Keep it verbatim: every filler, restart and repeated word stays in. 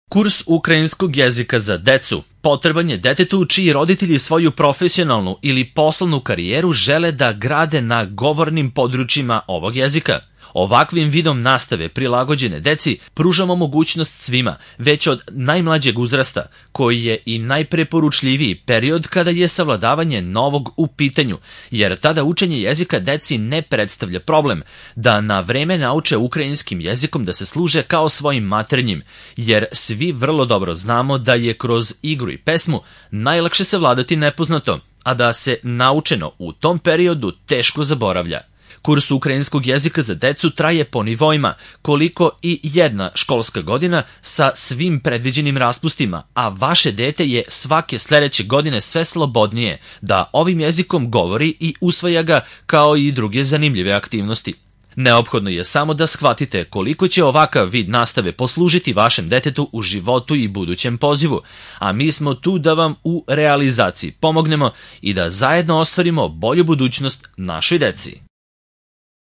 Kurs ukrajinskog jezika za decu potreban je detetu čiji roditelji svoju profesionalnu ili poslovnu karijeru žele da grade na govornim područjima ovog jezika. Ovakvim vidom nastave prilagođene deci pružamo mogućnost svima, već od najmlađeg uzrasta, koji je i najpreporučljiviji period kada je savladavanje novog u pitanju, jer tada učenje jezika deci ne predstavlja problem, da na vreme nauče ukrajinskim jezikom da se služe kao svojim maternjim, jer svi vrlo dobro znamo da je kroz igru i pesmu najlakše savladati nepoznato, a da se naučeno u tom periodu teško zaboravlja. Kurs ukrajinskog jezika za decu traje po nivoima, koliko i jedna školska godina sa svim predviđenim raspustima, a vaše dete je svake sledeće godine sve slobodnije da ovim jezikom govori i usvaja ga kao i druge zanimljive aktivnosti. Neophodno je samo da shvatite koliko će ovakav vid nastave poslužiti vašem detetu u životu i budućem pozivu, a mi smo tu da vam u realizaciji pomognemo i da zajedno ostvarimo bolju budućnost našoj deci.